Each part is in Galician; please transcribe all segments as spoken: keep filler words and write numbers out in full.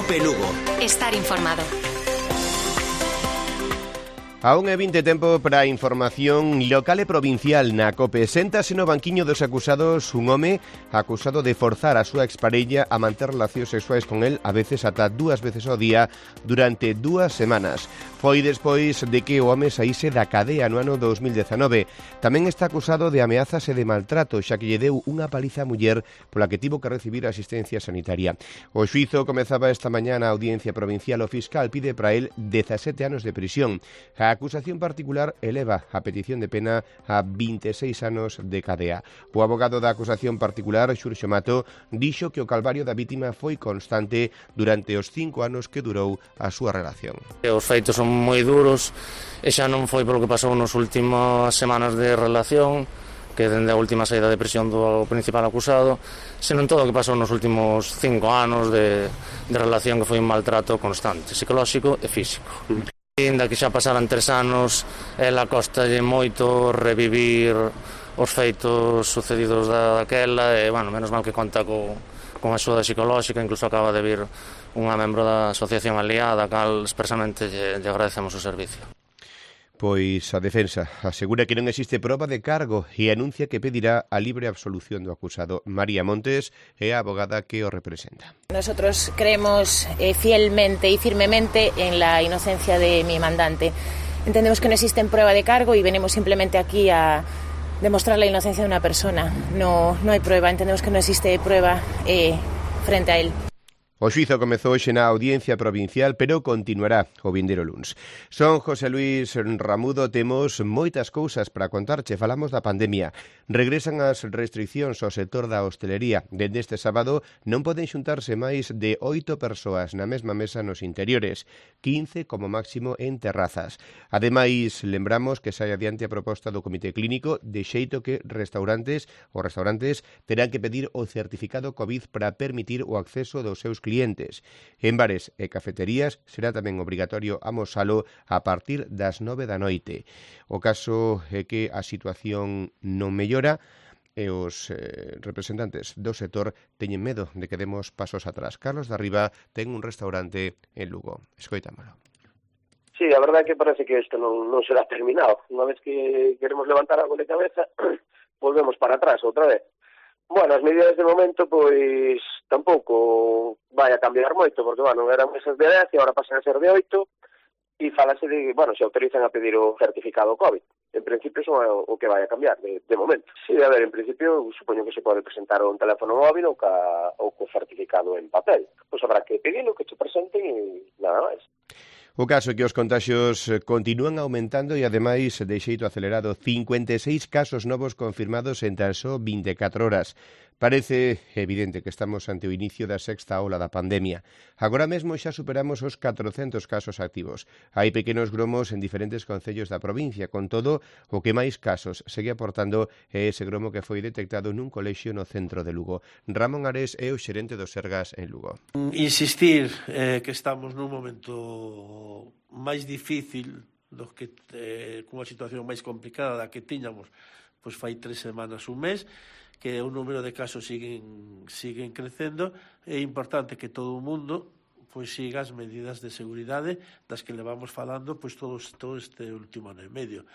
Cope Lugo. Estar informado. Aún é vinte tempo para a información local e provincial na COPE. Séntase no banquiño dos acusados un home acusado de forzar a súa exparella a manter relacións sexuais con el, a veces ata dúas veces ao día, durante dúas semanas. Foi despois de que o home saíse da cadea no ano dos mil dezanove. Tamén está acusado de ameazas e de maltrato, xa que lle deu unha paliza a muller pola que tivo que recibir asistencia sanitaria. O xuízo comezaba esta mañá na audiencia provincial. O fiscal pide para el dezasete anos de prisión. A acusación particular eleva a petición de pena a vinte e seis anos de cadea. O abogado da acusación particular, Xurxo Mato, dixo que o calvario da vítima foi constante durante os cinco anos que durou a súa relación. Os feitos son moi duros e xa non foi polo que pasou nas últimas semanas de relación, que dende a última saída de prisión do principal acusado, senón todo o que pasou nos últimos cinco anos de, de relación, que foi un maltrato constante, psicolóxico e físico. Ainda que xa pasaran tres anos, ela costalle moito revivir os feitos sucedidos daquela e, bueno, menos mal que conta co, con axuda psicolóxica. Incluso acaba de vir unha membro da asociación aliada, a cal expresamente lle, lle agradecemos o servicio. Pois a defensa asegura que non existe proba de cargo e anuncia que pedirá a libre absolución do acusado. María Montes é a abogada que o representa. Nosotros creemos eh, fielmente y firmemente en la inocencia de mi mandante. Entendemos que no existe prueba de cargo y venimos simplemente aquí a demostrar la inocencia de una persona. No, no hay prueba, entendemos que no existe prueba eh, frente a él. O xuízo comezou hoxe na audiencia provincial, pero continuará o vindeiro luns. Son José Luis Ramudo, temos moitas cousas para contarche. Falamos da pandemia. Regresan as restriccións ao sector da hostelería. Dende este sábado non poden xuntarse máis de oito persoas na mesma mesa nos interiores, quince como máximo en terrazas. Ademais, lembramos que sai adiante a proposta do Comité Clínico, de xeito que restaurantes ou restaurantes terán que pedir o certificado COVID para permitir o acceso dos seus clientes. clientes. En bares e cafeterías será tamén obrigatorio amosalo a partir das nove da noite. O caso é que a situación non mellora e os eh, representantes do sector teñen medo de que demos pasos atrás. Carlos de Arriba ten un restaurante en Lugo. Escoitámolo. Sí, a verdade é que parece que isto non, non será terminado. Unha vez que queremos levantar algo de cabeza, volvemos para atrás outra vez. Bueno, as medidas de momento, pois, tampouco vai a cambiar moito, porque, bueno, eran mesas de dez e agora pasan a ser de oito, e falase de, bueno, se autorizan a pedir o certificado COVID. En principio, son o que vai a cambiar, de, de momento. Sí, a ver, en principio, supoño que se pode presentar un teléfono móvil ou, ca, ou co certificado en papel. Pois habrá que pedirlo, que te presenten e nada máis. O caso é que os contaxios continúan aumentando e, ademais, de xeito acelerado, cincuenta e seis casos novos confirmados en tan só vinte e catro horas. Parece evidente que estamos ante o inicio da sexta ola da pandemia. Agora mesmo xa superamos os catrocentos casos activos. Hai pequenos gromos en diferentes concellos da provincia. Con todo, o que máis casos segue aportando é ese gromo que foi detectado nun colexio no centro de Lugo. Ramón Ares é o xerente do Sergas en Lugo. Insistir eh, que estamos nun momento máis difícil do que eh, cunha situación máis complicada da que tiñamos pois fai tres semanas, un mes, que o número de casos siguen siguen crecendo. É importante que todo o mundo pois siga as medidas de seguridade das que levamos falando pois todos todo este último ano e medio.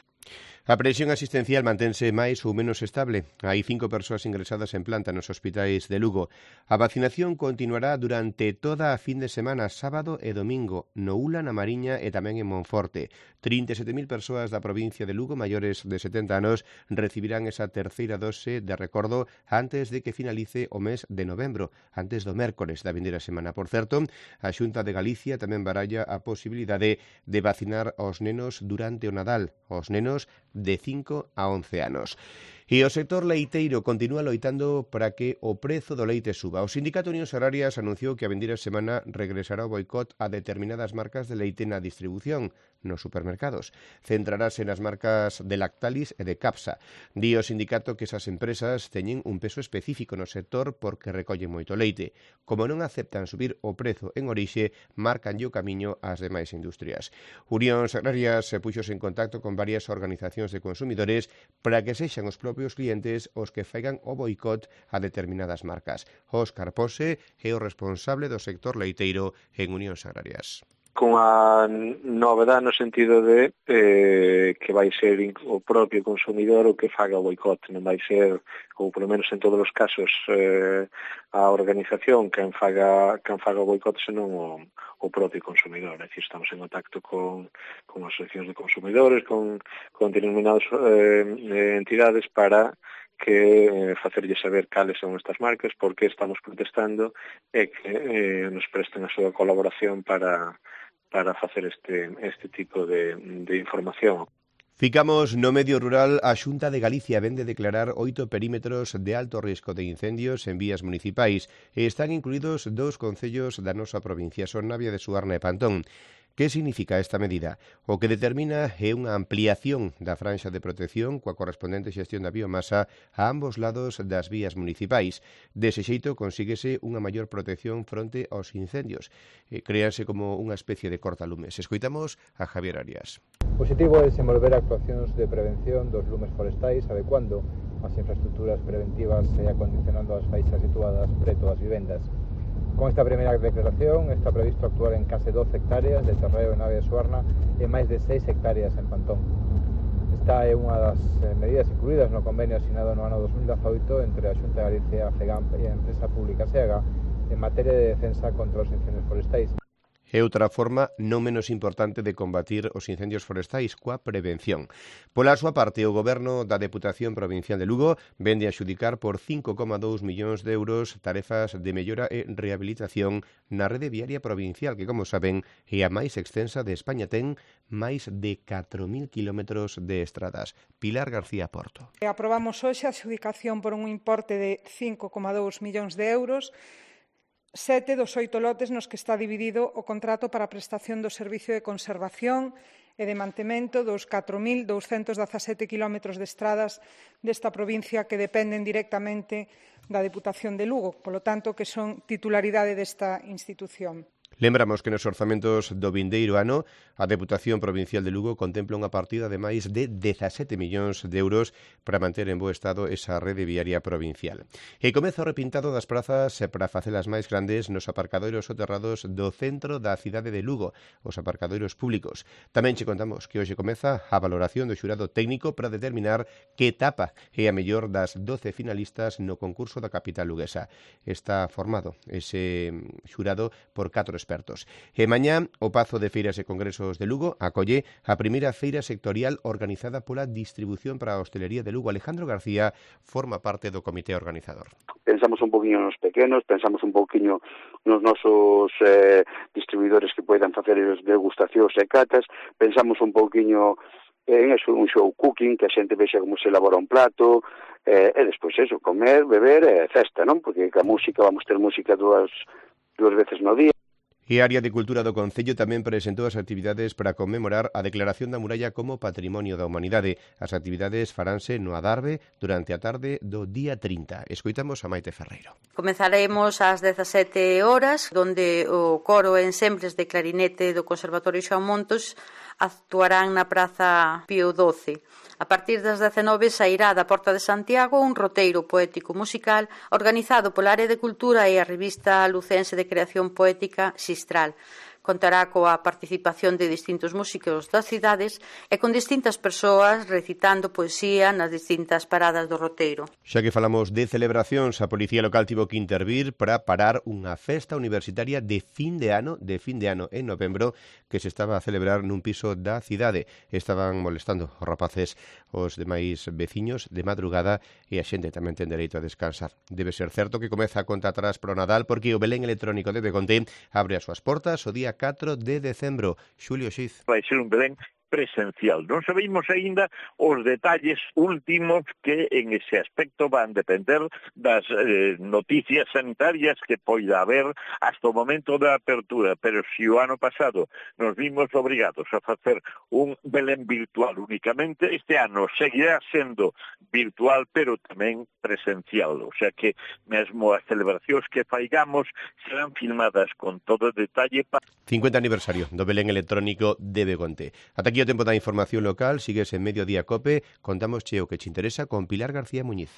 A presión asistencial mantense máis ou menos estable. Hai cinco persoas ingresadas en planta nos hospitais de Lugo. A vacinación continuará durante toda a fin de semana, sábado e domingo, no Ula, na Mariña e tamén en Monforte. trinta e sete mil persoas da provincia de Lugo maiores de setenta anos recibirán esa terceira dose de recordo antes de que finalice o mes de novembro, antes do mércores da vindeira semana. Por certo, a Xunta de Galicia tamén baralla a posibilidade de vacinar aos nenos durante o Nadal, aos nenos de cinco a once anos. E o sector leiteiro continúa loitando para que o prezo do leite suba. O Sindicato Unións Agrarias anunciou que a vindeira semana regresará o boicot a determinadas marcas de leite na distribución. nos supermercados. Centrarase nas marcas de Lactalis e de Capsa. Di o sindicato que esas empresas teñen un peso específico no sector porque recollen moito leite. Como non aceptan subir o prezo en orixe, marcan o camiño ás demais industrias. Unións Agrarias se puxos en contacto con varias organizacións de consumidores para que sexan os propios clientes os que faigan o boicot a determinadas marcas. Óscar Pose é o responsable do sector leiteiro en Unións Agrarias. Con a novedade no sentido de eh, que vai ser o propio consumidor o que faga o boicot, non vai ser, ou polo menos en todos os casos, eh, a organización quen faga, quen faga o boicot, senón o, o propio consumidor. É dicir, estamos en contacto con, con asociacións de consumidores, con, con determinadas eh, entidades para que eh, facerlle saber cales son estas marcas, por que estamos protestando e que eh, nos presten a súa colaboración para para facer este, este tipo de, de información. Ficamos no medio rural. A Xunta de Galicia vende declarar oito perímetros de alto risco de incendios en vías municipais e están incluídos dous concellos da nosa provincia, son Navia de Suarna e Pantón. Que significa esta medida? O que determina é unha ampliación da franxa de protección coa correspondente xestión da biomasa a ambos lados das vías municipais. Dese xeito consíguese unha maior protección fronte aos incendios. E créanse como unha especie de cortalumes. Escoitamos a Javier Arias. O objetivo é desenvolver actuacións de prevención dos lumes forestais adecuando as infraestructuras preventivas e acondicionando as faixas situadas preto das vivendas. Con esta primeira declaración está previsto actuar en case doce hectáreas de terreo en Navia de Suarna e máis de seis hectáreas en Pantón. Esta é unha das medidas incluídas no convenio asinado no ano dos mil dezaoito entre a Xunta de Galicia, a FEGAMP e a empresa pública SEAGA en materia de defensa contra os incendios forestais. É outra forma non menos importante de combatir os incendios forestais coa prevención. Pola súa parte, o Goberno da Deputación Provincial de Lugo vende a xudicar por cinco coma dous millóns de euros tarefas de mellora e rehabilitación na rede viaria provincial, que, como saben, é a máis extensa de España, ten máis de catro mil kilómetros de estradas. Pilar García Porto. Aprobamos hoxe a xudicación por un importe de cinco coma dous millóns de euros, sete dos oito lotes nos que está dividido o contrato para a prestación do servicio de conservación e de mantemento dos catro mil douscentos dezasete kilómetros de estradas desta provincia que dependen directamente da Deputación de Lugo, polo tanto, que son titularidade desta institución. Lembramos que nos orzamentos do vindeiro ano a Deputación Provincial de Lugo contempla unha partida de máis de dezasete millóns de euros para manter en bo estado esa rede viaria provincial. E comeza o repintado das prazas para facelas máis grandes nos aparcadoiros soterrados do centro da cidade de Lugo, os aparcadoiros públicos. Tamén che contamos que hoxe comeza a valoración do xurado técnico para determinar que etapa é a mellor das doce finalistas no concurso da capital luguesa. Está formado ese xurado por catro expertos. E mañá o Pazo de Feiras e Congresos de Lugo acolle a primeira feira sectorial organizada pola Distribución para a Hostelería de Lugo. Alejandro García forma parte do comité organizador. Pensamos un poquinho nos pequenos, pensamos un poquinho nos nosos eh, distribuidores que poidan facer as degustacións e catas, pensamos un poquinho en eso, un show cooking, que a xente vexa como se elabora un plato, eh, e despois eso, comer, beber e festa, non? Porque a música, vamos ter música dúas, dúas veces no día. E a Área de Cultura do Concello tamén presentou as actividades para conmemorar a declaración da muralla como Patrimonio da Humanidade. As actividades faranse no Adarve durante a tarde do día trinta. Escoitamos a Maite Ferreiro. Comezaremos ás dezasete horas, onde o coro e ensembres de clarinete do Conservatorio Xoán Montos actuarán na Praza Pío doce. A partir das dezenove sairá da Porta de Santiago un roteiro poético musical organizado pola Área de Cultura e a revista lucense de creación poética Xistral. Contará coa participación de distintos músicos das cidades e con distintas persoas recitando poesía nas distintas paradas do roteiro. Xa que falamos de celebracións, a Policía Local tivo que intervir para parar unha festa universitaria de fin de ano, de fin de ano en novembro, que se estaba a celebrar nun piso da cidade. Estaban molestando os rapaces os demais veciños de madrugada e a xente tamén ten dereito a descansar. Debe ser certo que comeza a conta atrás pro Nadal porque o Belén electrónico de Begonte abre as súas portas o día catro de decembro. Xulio Xiz. Vai ser un Belén presencial. Non sabemos aínda os detalles últimos que en ese aspecto van depender das eh, noticias sanitarias que poida haber hasta o momento da apertura, pero se o ano pasado nos vimos obrigados a facer un Belén virtual únicamente, este ano seguirá sendo virtual, pero tamén presencial, o sea que mesmo as celebracións que faigamos serán filmadas con todo detalle. cincuenta aniversario do Belén electrónico de Begonte. Ata aquí o tempo da información local, sigues en Mediodía Cope, contamos che o que che interesa con Pilar García Muñiz.